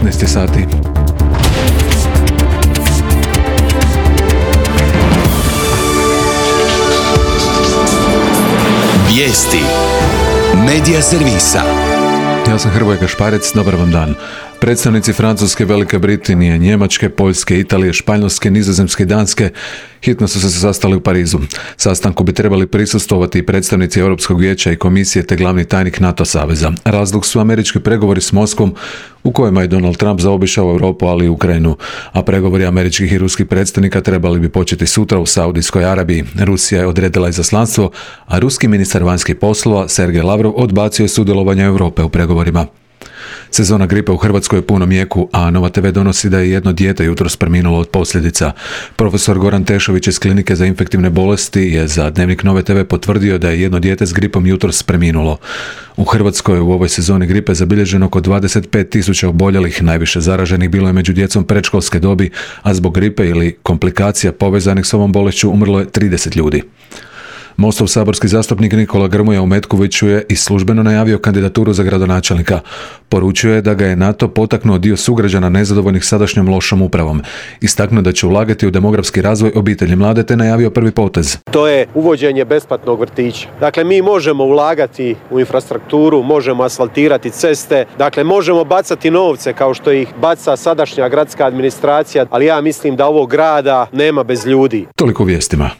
15 sati. Vijesti Medija servisa. Ja sam Hrvoje Gašparec, dobar vam dan. Predstavnici Francuske, Velike Britanije, Njemačke, Poljske, Italije, Španjolske, Nizozemske i Danske hitno su se sastali u Parizu. Sastanku bi trebali prisustvovati i predstavnici Europskog vijeća i komisije te glavni tajnik NATO saveza. Razlog su američki pregovori s Moskvom u kojima je Donald Trump zaobišao Europu, ali i Ukrajinu, a pregovori američkih i ruskih predstavnika trebali bi početi sutra u Saudijskoj Arabiji. Rusija je odredila izaslanstvo, a ruski ministar vanjskih poslova Sergej Lavrov odbacio je sudjelovanje Europe u pregovorima. Sezona gripe u Hrvatskoj je u punom jeku, a Nova TV donosi da je jedno dijete jutros preminulo od posljedica. Profesor Goran Tešović iz Klinike za infektivne bolesti je za Dnevnik Nove TV potvrdio da je jedno dijete s gripom jutros preminulo. U Hrvatskoj je u ovoj sezoni gripe zabilježeno oko 25.000 oboljelih, najviše zaraženih bilo je među djecom predškolske dobi, a zbog gripe ili komplikacija povezanih s ovom bolešću umrlo je 30 ljudi. Mostov saborski zastupnik Nikola Grmoja u Metkoviću je i službeno najavio kandidaturu za gradonačelnika. Poručio je da ga je na to potaknuo dio sugrađana nezadovoljnih sadašnjom lošom upravom. Istaknuo da će ulagati u demografski razvoj obitelji mlade te najavio prvi potez. To je uvođenje besplatnog vrtića. Dakle, mi možemo ulagati u infrastrukturu, možemo asfaltirati ceste, dakle možemo bacati novce kao što ih baca sadašnja gradska administracija, ali ja mislim da ovog grada nema bez ljudi. Toliko u vijestima.